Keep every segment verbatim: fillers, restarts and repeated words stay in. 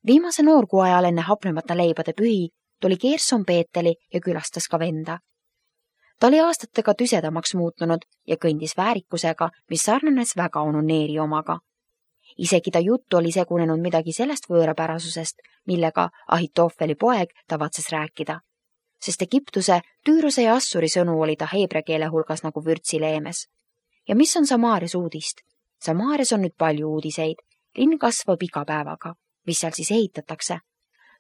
Viimase noorkuu ajal enne hapnemata leibade pühi tuli Gerson Peeteli ja külastas ka venda. Ta oli aastatega tüsedamaks muutunud ja kõndis väärikusega, mis sarnanes väga Onuneeri omaga. Isegi ta juttu oli segunenud midagi sellest võõrapärasusest, millega Ahitofeli poeg tavatses rääkida. Sest Egiptuse, Tüürose ja Assuri sõnu oli ta heebrea keele hulgas nagu vürtsileemes. Ja mis on Samaarias uudist? Samaarias on nüüd palju uudiseid. Linn kasvab iga päevaga. Mis seal siis ehitatakse?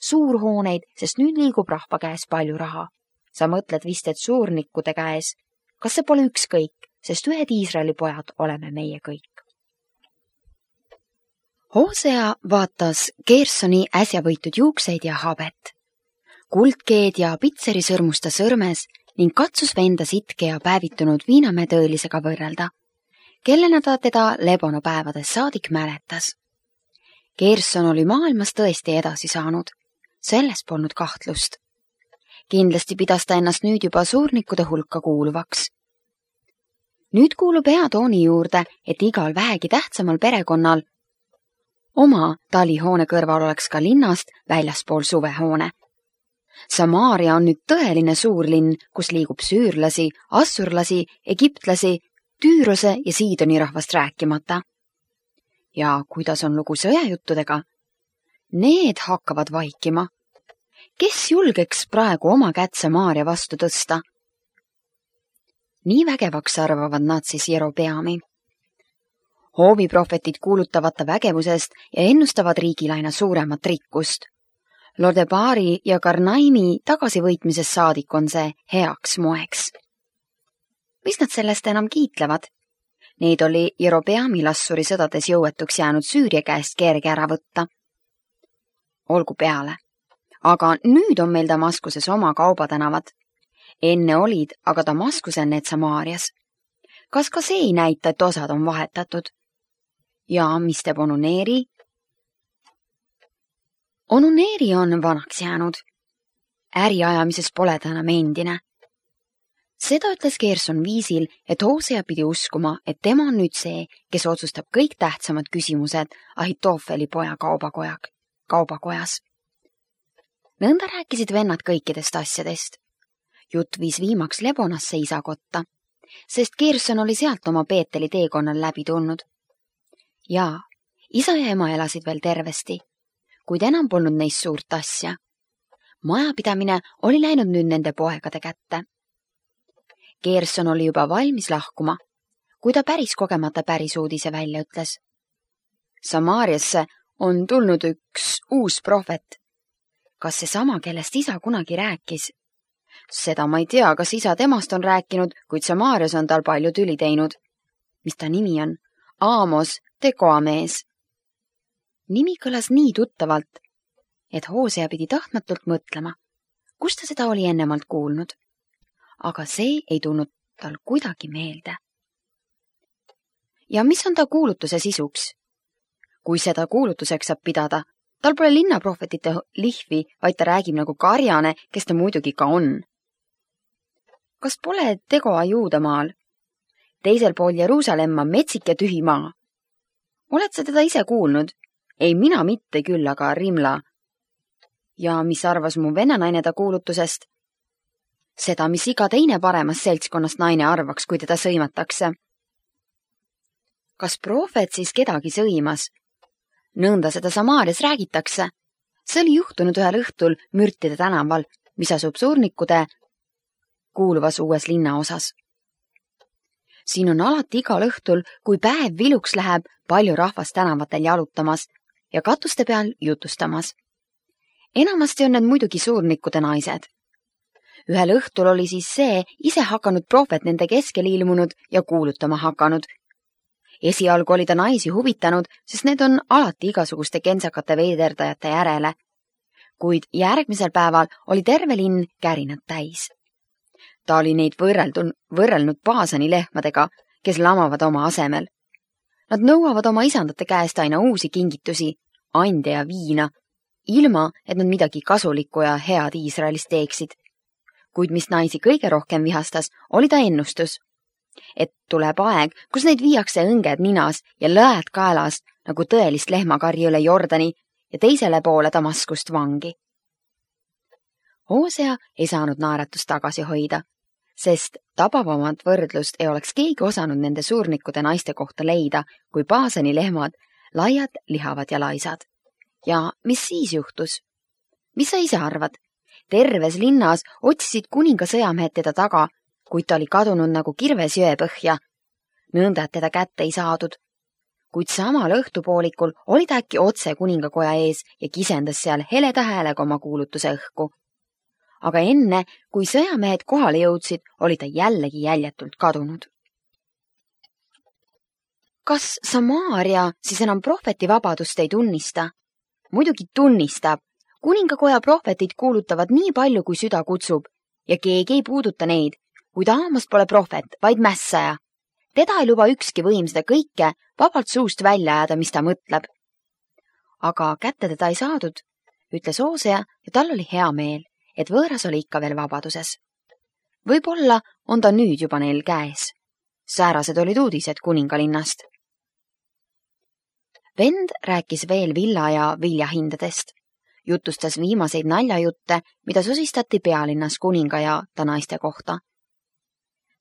Suurhooneid, sest nüüd liigub rahva käes palju raha. Sa mõtled vist, et suurnikkude käes. Kas see pole ükskõik, sest ühed Iisraeli pojad oleme meie kõik? Hosea vaatas Gersoni äsja võitud juukseid ja habet. Kuldkeed ja pitseri sõrmusta sõrmes ning katsus venda sitke ja päevitunud viinamäe tõelisega võrrelda, kellena ta teda lebonopäevades saadik mäletas. Gerson oli maailmas tõesti edasi saanud. Selles polnud kahtlust. Kindlasti pidas ta ennast nüüd juba suurnikkude hulka kuuluvaks. Nüüd kuulub hea tooni juurde, et igal vähegi tähtsamal perekonnal oma talihoone kõrval oleks ka linnast väljaspool suvehoone. Samaaria on nüüd tõeline suurlinn, kus liigub süürlasi, assurlasi, egiptlasi, Tüürose ja Siidoni rahvast rääkimata. Ja kuidas on lugu sõjajuttudega? Need hakkavad vaikima. Kes julgeks praegu oma kätt Samaaria vastu tõsta? Nii vägevaks arvavad nad siis Jerobeami. Hooviprohvetid kuulutavad ta vägevusest ja ennustavad riigil aina suuremat rikkust. Lodebari ja Karnaimi tagasivõitmises saadik on see heaks moeks. Mis nad sellest enam kiitlevad? Neid oli Jerobeami Assuri sõdades jõuetuks jäänud Süüria käest kerge ära võtta. Olgu peale. Aga nüüd on meil Damaskuses oma kaubatänavad. Enne olid, aga Damaskusel need Samaarias. Kas ka see ei näita, et osad on vahetatud? Ja mis teeb Onuneeri? Onuneeri on vanaks jäänud. Äriajamises pole ta enam endine. Seda ütles Gerson viisil, et Hosea pidi uskuma, et tema on nüüd see, kes otsustab kõik tähtsamad küsimused Ahitofeli poja kaubakojak, kaubakojas. Nõnda rääkisid vennad kõikidest asjadest. Jutt viis viimaks Lebonasse isakotta, sest Gerson oli sealt oma Peeteli teekonnal läbi tulnud. Jaa, isa ja ema elasid veel tervesti, kuid enam polnud neist suurt asja. Majapidamine oli läinud nüüd nende poegade kätte. Gerson oli juba valmis lahkuma, kui ta päris kogemata päris uudise välja ütles. Samaariasse on tulnud üks uus prohvet. Kas see sama, kellest isa kunagi rääkis? Seda ma ei tea, kas isa temast on rääkinud, kuid Samaarias on tal palju tüli teinud. Mis ta nimi on? Aamos, Tekoamees. Nimi kõlas nii tuttavalt, et Hosea pidi tahtmatult mõtlema, kus ta seda oli ennemalt kuulnud. Aga see ei tulnud tal kuidagi meelde. Ja mis on ta kuulutuse sisuks? Kui seda kuulutuseks saab pidada, tal pole linnaprohvetite lihvi, vaid ta räägib nagu karjane, kes ta muidugi ka on. Kas pole Tegoa Juudamaal? Teisel pool Jeruusalemma metsik ja tühi maa. Oled sa teda ise kuulnud? Ei, mina mitte küll, aga Rimla. Ja mis arvas mu vennanaine ta kuulutusest? Seda, mis iga teine paremas seltskonnast naine arvaks, kui teda sõimatakse. Kas prohvet siis kedagi sõimas? Nõnda seda Samaarias räägitakse. See oli juhtunud ühel õhtul Mürtide tänaval, mis asub suurnikkude kuuluvas uues linnaosas. Siin on alati igal õhtul, kui päev viluks läheb, palju rahvast tänavatel jalutamas ja katuste peal jutustamas. Enamasti on need muidugi suurnikkude naised. Ühel õhtul oli siis see ise hakanud prohvet nende keskel ilmunud ja kuulutama hakanud. Esialgu oli ta naisi huvitanud, sest need on alati igasuguste kentsakate veiderdajate järele. Kuid järgmisel päeval oli terve linn kärinad täis. Ta oli neid võrreldun, võrrelnud paasani lehmadega, kes lamavad oma asemel. Nad nõuavad oma isandate käest aina uusi kingitusi, ande ja viina, ilma, et nad midagi kasulikku ja head Iisraelis teeksid. Kuid mis naisi kõige rohkem vihastas, oli ta ennustus, et tuleb aeg, kus neid viiakse õnged ninas ja lõed kaelas nagu tõelist lehmakarji üle Jordani ja teisele poole Damaskust vangi. Hosea ei saanud naeratust tagasi hoida, sest tabavamat võrdlust ei oleks keegi osanud nende suurnikude naiste kohta leida kui Baasani lehmad, laiad, lihavad ja laisad. Ja mis siis juhtus? Mis sa ise arvad? Terves linnas otsisid kuninga sõjamehed teda taga, kuid ta oli kadunud nagu kirves jõe põhja. Nõnda, et teda kätte ei saadud. Kuid samal õhtupoolikul oli ta äkki otse kuningakoja ees ja kisendas seal heleda häälega oma kuulutuse õhku. Aga enne, kui sõjamehed kohale jõudsid, oli ta jällegi jäljetult kadunud. Kas Samaaria siis enam prohveti vabadust ei tunnista? Muidugi tunnistab. Kuningakoja prohvetid kuulutavad nii palju, kui süda kutsub ja keegi ei puuduta neid, kuid Aamos pole prohvet, vaid mässaja. Teda ei luba ükski võim seda kõike vabalt suust välja jääda, mis ta mõtleb. Aga kätte teda ei saadud, ütles Hosea ja tal oli hea meel, et võõras oli ikka veel vabaduses. Võib-olla on ta nüüd juba neil käes. Säärased olid uudised kuningalinnast. Vend rääkis veel villa ja viljahindadest. Jutustas viimaseid naljajutte, mida sosistati pealinnas kuninga ja ta naiste kohta.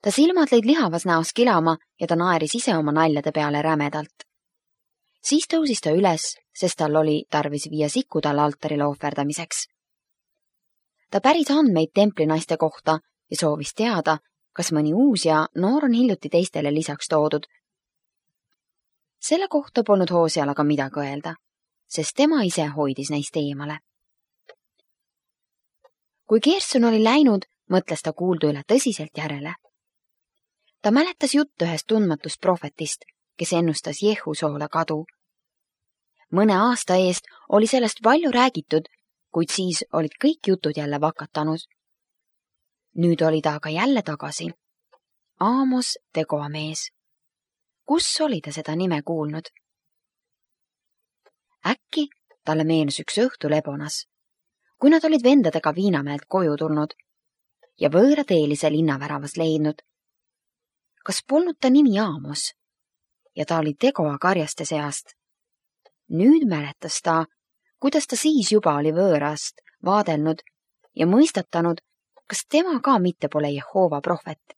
Ta silmad lõid lihavas näos kilama ja ta naeris ise oma naljade peale rämedalt. Siis tõusis ta üles, sest tal oli tarvis viia siku talle altarile ohverdamiseks. Ta päris andmeid templi naiste kohta ja soovis teada, kas mõni uus ja noor on hiljuti teistele lisaks toodud. Selle kohta polnud Hoseal aga midagi öelda, sest tema ise hoidis neist eemale. Kui Gerson oli läinud, mõtles ta kuuldu üle tõsiselt järele. Ta mäletas juttu ühest tundmatust prohvetist, kes ennustas Jehusoole kadu. Mõne aasta eest oli sellest palju räägitud, kuid siis olid kõik jutud jälle vakatanud. Nüüd oli ta aga jälle tagasi. Aamos tegoamees. Kus oli ta seda nime kuulnud? Äkki talle meenus üks õhtu Lebonas, kui nad olid vendadega Viinamäelt koju tulnud ja võõrateelise linnaväravas leidnud. Kas polnud ta nimi Aamos ja ta oli tegoa karjaste seast? Nüüd mäletas ta, kuidas ta siis juba oli võõrast vaadelnud ja mõistatanud, kas tema ka mitte pole Jehova prohvet.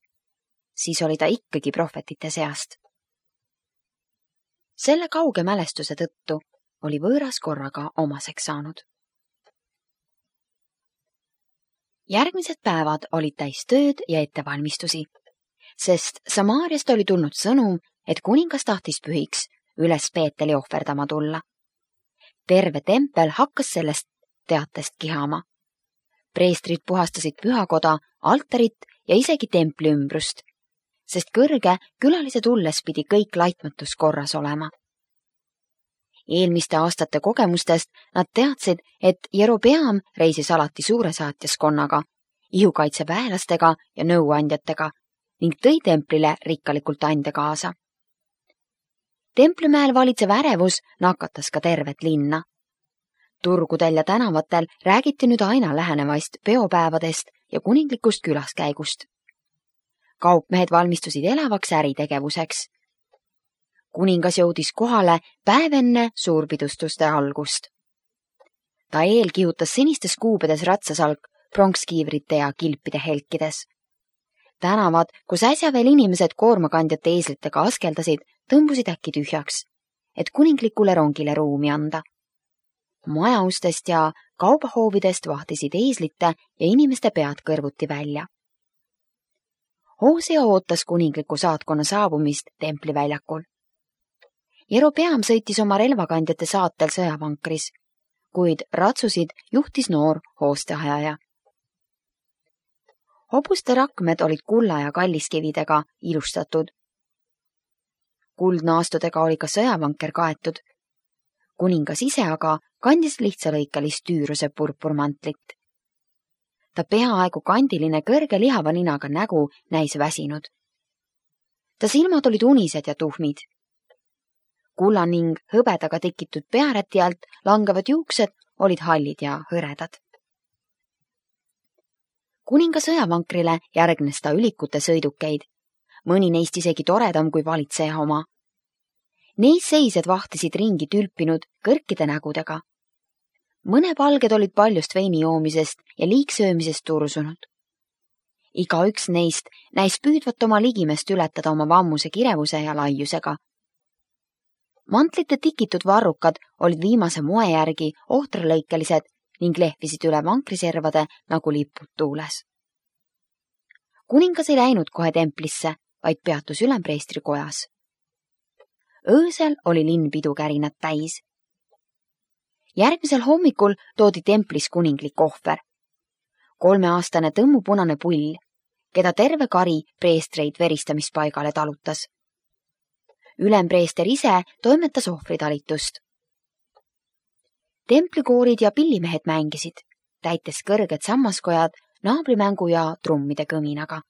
Siis oli ta ikkagi prohvetite seast. Selle kauge mälestuse tõttu oli võõras korraga omaseks saanud. Järgmised päevad olid täis tööd ja ettevalmistusi, sest Samaariast oli tulnud sõnum, et kuningas tahtis pühiks üles Peeteli ohverdama tulla. Terve tempel hakkas sellest teatest kihama. Preestrid puhastasid pühakoda, altarit ja isegi templi ümbrust, sest kõrge külalise tulles pidi kõik laitmatus korras olema. Eelmiste aastate kogemustest nad teadsid, et Jerobeam reisis alati suuresaatjaskonnaga, ihukaitseväelastega ja nõuandjatega ning tõi templile rikkalikult ande kaasa. Templimäel valitsev ärevus nakatas ka tervet linna. Turgudel ja tänavatel räägiti nüüd aina lähenevaist peopäevadest ja kuninglikust külaskäigust. Kaupmehed valmistusid elavaks äritegevuseks. Kuningas jõudis kohale päev enne suurpidustuste algust. Ta eel kihutas sinistes kuubedes ratsasalk pronkskiivrite ja kilpide helkides. Tänavad, kus äsja veel inimesed koormakandjate eeslitega askeldasid, tõmbusid äkki tühjaks, et kuninglikule rongile ruumi anda. Majaustest ja kaubahoovidest vahtisid eeslite ja inimeste pead kõrvuti välja. Hosea ootas kuningliku saatkonna saabumist templiväljakul. Jerobeam sõitis oma relvakandjate saatel sõjavankris, kuid ratsusid juhtis noor hoosteajaja. Hobuste rakmed olid kulla ja kalliskividega ilustatud. Kuldnaastudega oli ka sõjavanker kaetud. Kuningas ise aga kandis lihtsalõikalist tüüruse purpurmantlit. Ta peaaegu kandiline kõrge lihava ninaga nägu näis väsinud. Ta silmad olid unised ja tuhmid. Kulla ning hõbedaga tikitud pearäti alt langevad juuksed olid hallid ja hõredad. Kuninga sõjavankrile järgnes ta ülikute sõidukeid, mõni neist isegi toredam kui valitseja oma. Neis seised vahtisid ringi tülpinud kõrkide nägudega. mõne palged olid paljust veini joomisest ja liigsöömisest tursunud. Iga üks neist näis püüdvat oma ligimest ületada oma vammuse kirevuse ja laiusega. Mantlite tikitud varrukad olid viimase moe järgi ohtralõikelised ning lehvisid üle vankriservade nagu lipud tuules. Kuningas ei läinud kohe templisse, vaid peatus ülempreestri kojas. Öösel oli linn pidukärinat täis. Järgmisel hommikul toodi templis kuninglik ohver. Kolmeaastane tõmmupunane pull, keda terve kari preestreid veristamispaigale talutas. Ülempreester ise toimetas ohvritalitust. Templikoorid ja pillimehed mängisid, täites kõrged sammaskojad naabrimängu ja trummide kõminaga.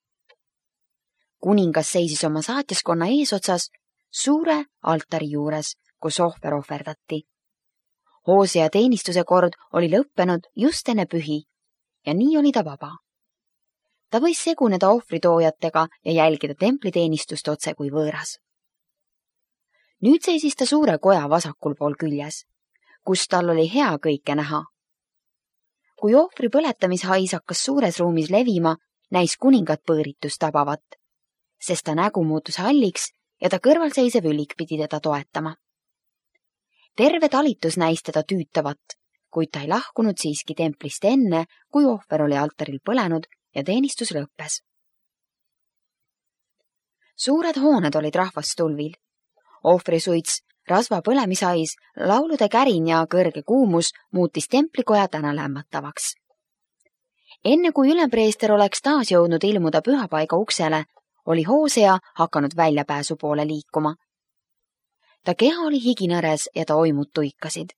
Kuningas seisis oma saatjaskonna eesotsas suure altari juures, kus ohver ohverdati. Hoosea teenistuse kord oli lõppenud just enne pühi ja nii oli ta vaba. Ta võis seguneda ohvritoojatega ja jälgida templiteenistust otse kui võõras. Nüüd seisis ta suure koja vasakul pool küljes, kus tal oli hea kõike näha. Kui ohvri põletamishais hakkas suures ruumis levima, näis kuningat põõritus tabavat, sest ta nägu muutus halliks ja ta kõrvalseisev ülik pidi teda toetama. Terve talitus näis teda tüütavat, kuid ta ei lahkunud siiski templist enne, kui ohver oli altaril põlenud ja teenistus lõppes. Suured hooned olid rahvast tulvil. Ohvrisuits, rasva põlemishais, laulude kärin ja kõrge kuumus muutis templikoja täna lämmatavaks. Enne kui ülempreester oleks taas jõudnud ilmuda pühapaiga uksele, oli Hoosea hakanud väljapääsu poole liikuma. Ta keha oli higinõres ja ta oimud tuikasid.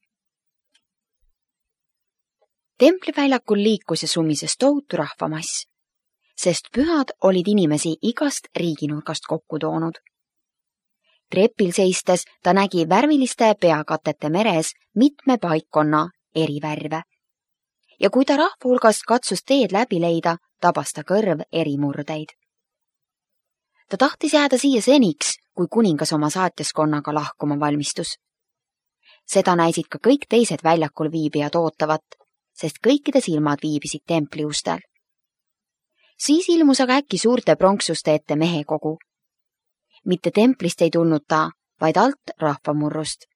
Templiväljakul liikus ja sumises tohutu rahvamass, sest pühad olid inimesi igast riiginurgast kokku toonud. Trepil seistes ta nägi värviliste peakatete meres mitme paikkonna eri värve. Ja kui ta rahva hulgast katsus teed läbi leida, tabas ta kõrv eri murdeid. Ta tahtis jääda siia seniks, kui kuningas oma saatjaskonnaga lahkuma valmistus. Seda näisid ka kõik teised väljakul viibijad ootavat, sest kõikide silmad viibisid templi ustel. Siis ilmus aga äkki suurte pronksuste ette mehekogu. Mitte templist ei tulnud ta, vaid alt rahvamurrust.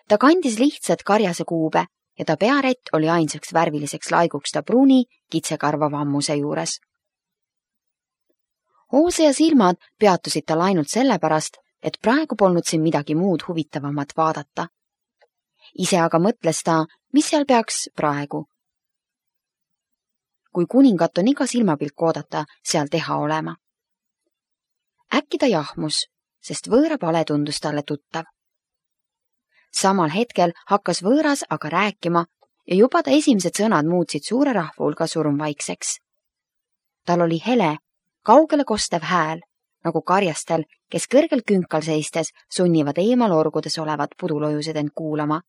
Ta kandis lihtsat karjase kuube ja ta pearätt oli ainsaks värviliseks laiguks ta pruuni kitsekarva vammuse juures. Hoosea silmad peatusid tal ainult sellepärast, et praegu polnud siin midagi muud huvitavamat vaadata. Ise aga mõtles ta, mis seal peaks praegu. Kui kuningat on iga silmapilk oodata, seal teha olema. Äkki ta jahmus, sest võõra pale tundus talle tuttav. Samal hetkel hakkas võõras aga rääkima ja juba ta esimesed sõnad muutsid suure rahva hulga surmvaikseks. Tal oli hele, kaugele kostev hääl, nagu karjastel, kes kõrgel künkal seistes sunnivad eemal orgudes olevat pudulojused end kuulama.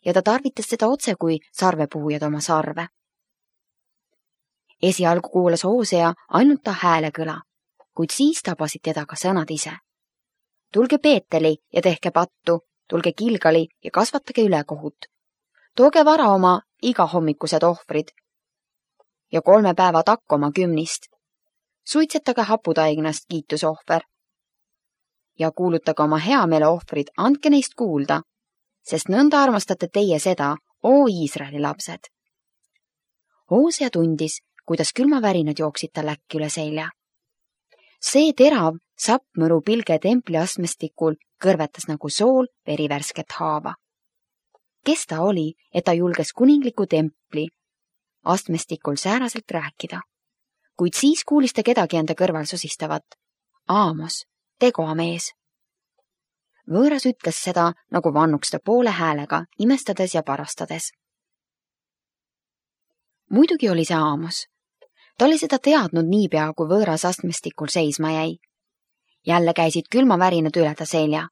Ja ta tarvitas seda otse kui sarvepuhujad oma sarve. Esialgu kuulas Hoosea ainult ta hääle kõla, kuid siis tabasid teda ka sõnad ise. Tulge Peeteli ja tehke pattu, tulge Kilgali ja kasvatage ülekohut. Tooge vara oma igahommikused ohvrid ja kolme päeva takk oma kümnist. Suitsetage haputaignast kiitusohver ja kuulutage oma heameele ohvrid, andke neist kuulda, sest nõnda armastate teie seda, oo Iisraeli lapsed. Hoosea tundis, kuidas külmavärinad jooksid tal äkki üle selja. See terav, sappmõru pilge templi astmestikul kõrvetas nagu sool verivärsket haava. Kes ta oli, et ta julges kuningliku templi astmestikul sääraselt rääkida? Kuid siis kuulis ta kedagi enda kõrval sosistavat. Aamos, tegoa mees. Võõras ütles seda, nagu vannuks ta poole häälega, imestades ja parastades. Muidugi oli see Aamos. Ta oli seda teadnud niipea, kui võõras astmestikul seisma jäi. Jälle käisid külmavärinad üle ta selja,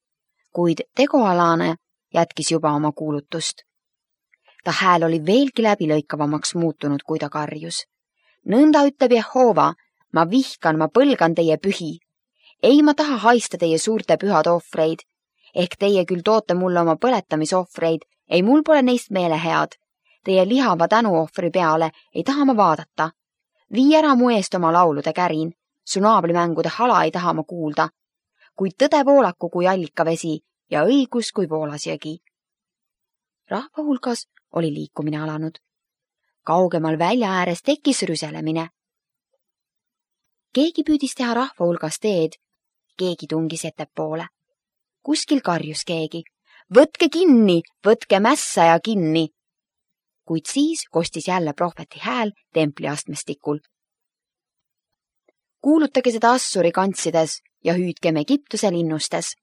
kuid tegoalane jätkis juba oma kuulutust. Ta hääl oli veelgi läbilõikavamaks muutunud, kui ta karjus. Nõnda ütleb Jehova, ma vihkan, ma põlgan teie pühi. Ei ma taha haista teie suurte pühade ohvreid. ehk teie küll toote mulle oma põletamisohvreid, ei mul pole neist meele head. Teie lihava tänuohvri peale ei taha ma vaadata. Vii ära mu eest oma laulude kärin. Su naablimängude hala ei taha ma kuulda. Kuid tõde voolaku kui allikavesi ja õigus kui voolasjõgi. Rahva hulgas oli liikumine alanud. Kaugemal välja ääres tekkis rüselemine. Keegi püüdis teha rahva hulgas teed. Keegi tungis ettepoole. Kuskil karjus keegi. Võtke kinni, võtke mässaja kinni. Kuid siis kostis jälle prohveti hääl templi astmestikul. Kuulutage seda Assuri kantsides ja hüüdkem Egiptuse linnustes.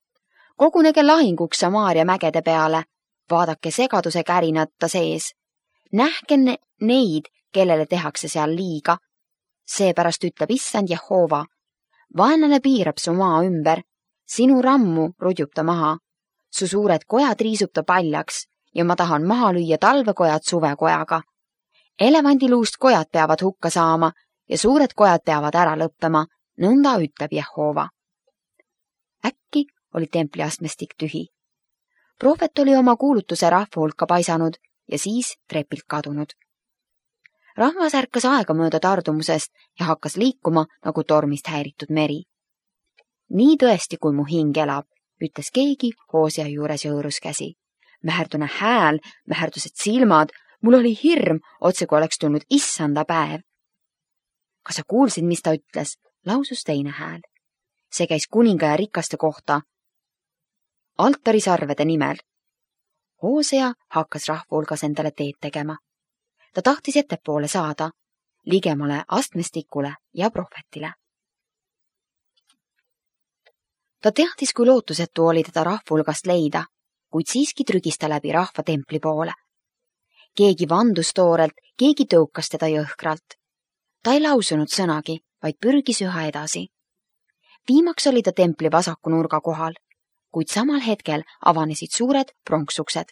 Kogunege lahinguks Samaaria mägede peale. Vaadake segaduse kärinata sees. Nähke ne neid, kellele tehakse seal liiga. Seepärast ütleb issand Jehova. Vaenlane piirab su maa ümber. Sinu rammu rudjub ta maha. Su suured kojad riisub ta paljaks ja ma tahan maha lüüa talvekojad suvekojaga. Elevandiluust kojad peavad hukka saama ja suured kojad peavad ära lõppema, nõnda ütleb Jehova. Äkki oli templiastmestik tühi. Prohvet oli oma kuulutuse rahva hulka paisanud ja siis trepilt kadunud. Rahvas ärkas aegamööda tardumusest ja hakkas liikuma nagu tormist häiritud meri. Nii tõesti, kui mu hing elab, ütles keegi Hoosia juures ja hõõrus käsi. Mäherdune hääl, mäherdused silmad, mul oli hirm, otse kui oleks tulnud issanda päev. Kas sa kuulsid, mis ta ütles? Lausus teine hääl. See käis kuninga ja rikaste kohta. Altarisarvede nimel. Hoosia hakkas rahva hulgas endale teed tegema. Ta tahtis ettepoole saada, ligemale astmestikule ja prohvetile. Ta teadis, kui lootusetu oli teda rahva hulgast leida, kuid siiski trügis ta läbi rahva templi poole. Keegi vandus toorelt, keegi tõukas teda jõhkralt. Ta ei lausunud sõnagi, vaid pürgis üha edasi. Viimaks oli ta templi vasaku nurga kohal, kuid samal hetkel avanesid suured pronksuksed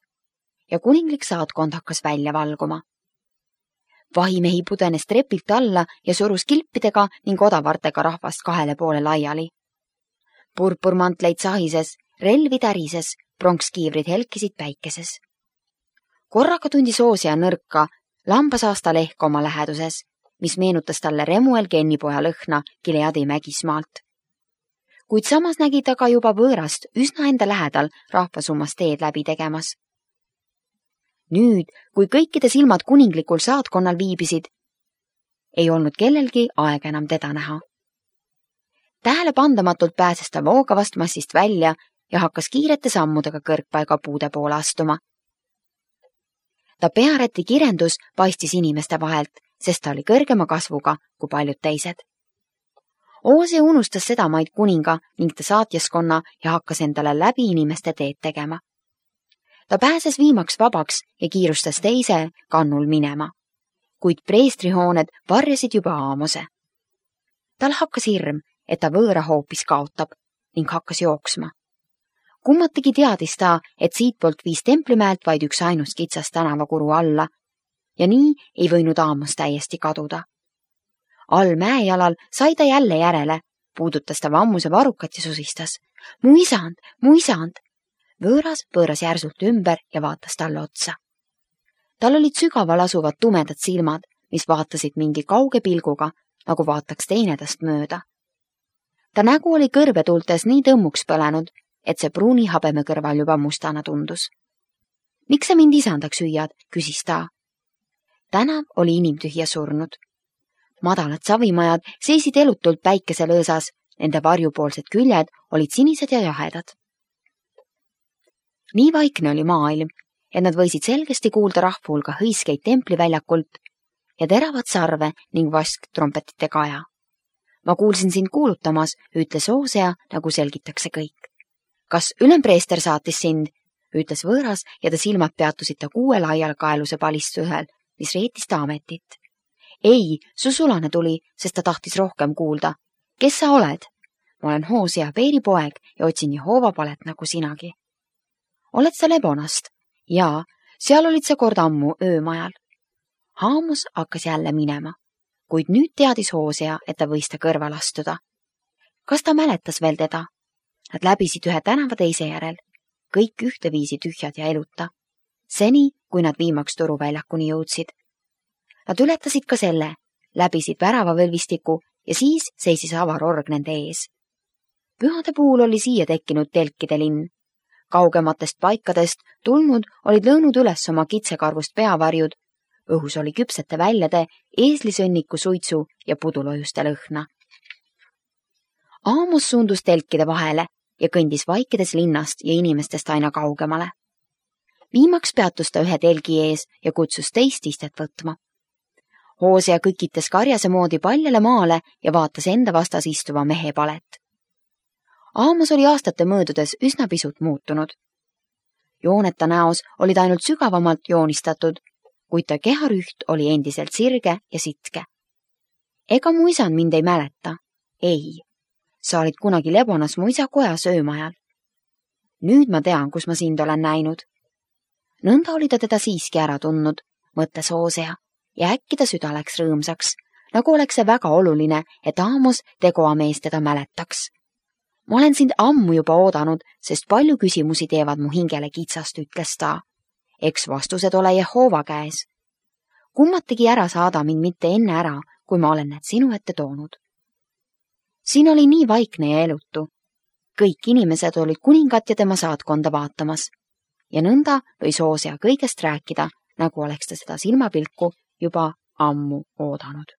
ja kuninglik saatkond hakkas välja valguma. Vahimehi pudenes trepilt alla ja surus kilpidega ning odavartega rahvast kahele poole laiali. Purpurmantleid sahises, relvi tärises, pronkskiivrid helkisid päikeses. Korraga tundis Hoosia nõrka lambasaasta lehk oma läheduses, mis meenutas talle Remuel Gennipoja lõhna Gileadi mägismaalt. Kuid samas nägi ta ka juba võõrast üsna enda lähedal rahvasummas teed läbi tegemas. Nüüd, kui kõikide silmad kuninglikul saatkonnal viibisid, ei olnud kellelgi aega enam teda näha. Tähelepandamatult pääses ta voogavast massist välja ja hakkas kiirete sammudega kõrgpaiga puude poole astuma. Ta pearäti kirendus paistis inimeste vahelt, sest ta oli kõrgema kasvuga kui paljud teised. Hoosia unustas seda maid kuninga ning ta saatjaskonna ja hakkas endale läbi inimeste teed tegema. Ta pääses viimaks vabaks ja kiirustas teise kannul minema, kuid preestrihooned varjasid juba aamuse. Tal hakkas hirm, et ta võõra hoopis kaotab ning hakkas jooksma. Kummatigi teadis ta, et siitpoolt viis templimäelt vaid üks ainus kitsas tänavakuru alla ja nii ei võinud aamus täiesti kaduda. All mäejalal sai ta jälle järele, puudutas ta vammuse varukat ja susistas. Mu isand, mu isand! Võõras pööras järsult ümber ja vaatas talle otsa. Tal olid sügaval asuvad tumedad silmad, mis vaatasid mingi kauge pilguga, nagu vaataks teine tast mööda. Ta nägu oli kõrvetultes nii tõmmuks põlenud, et see pruuni habeme kõrval juba mustana tundus. Miks sa mind isandaks hüüad, küsis ta. Tänav oli inimtühja surnud. Madalad savimajad seisid elutult päikeselõõsas, nende varjupoolsed küljed olid sinised ja jahedad. Nii vaikne oli maailm, et nad võisid selgesti kuulda rahva hulga hõiskeid templiväljakult ja teravat sarve ning vask trompetite kaja. Ma kuulsin sind kuulutamas, ütles Hoosia, nagu selgitakse kõik. Kas ülempreester saatis sind, ütles võõras ja ta silmad peatusid ta kuue laialkaeluse palistusel, mis reetis ta ametit. Ei, su sulane tuli, sest ta tahtis rohkem kuulda. Kes sa oled? Ma olen Hoosia Peeri poeg ja otsin Jehova palet nagu sinagi. Oled sa Lebonast? Jaa, seal olid sa kord ammu öömajal. Haamus hakkas jälle minema, kuid nüüd teadis Hoosia, et ta võis ta kõrval astuda. Kas ta mäletas veel teda? Nad läbisid ühe tänava teise järel. kõik ühteviisi tühjad ja eluta. Seni, kui nad viimaks turuväljakuni jõudsid. Nad ületasid ka selle, läbisid väravavõlvistiku ja siis seisis avar org nende ees. Pühade puhul oli siia tekkinud telkide linn. Kaugematest paikadest tulnud olid lõõnud üles oma kitsekarvust peavarjud, õhus oli küpsete väljade, eeslisõnniku suitsu ja pudulojuste lõhna. Aamos suundus telkide vahele ja kõndis vaikides linnast ja inimestest aina kaugemale. Viimaks peatus ta ühe telgi ees ja kutsus teist istet võtma. Hoosea kõkitas karjase moodi paljale maale ja vaatas enda vastas istuva mehe palet. Aamos oli aastate möödudes üsna pisut muutunud. Jooneta näos olid ainult sügavamalt joonistatud, kuid ta keharüht oli endiselt sirge ja sitke. Ega mu isand mind ei mäleta? Ei. Sa olid kunagi Lebonas mu isa koja söömajal. Nüüd ma tean, kus ma sind olen näinud. Nõnda oli ta teda siiski ära tundnud, mõtles Hoosea, ja äkki ta süda läks rõõmsaks, nagu oleks see väga oluline, et Aamos tegoamees teda mäletaks. Ma olen sind ammu juba oodanud, sest palju küsimusi teevad mu hingele kitsast, ütles ta. Eks vastused ole Jehova käes. Kummategi ära saada mind mitte enne ära, kui ma olen need sinu ette toonud. Siin oli nii vaikne ja elutu. Kõik inimesed olid kuningat ja tema saatkonda vaatamas. Ja nõnda võis Hoosea kõigest rääkida, nagu oleks ta seda silmapilku juba ammu oodanud.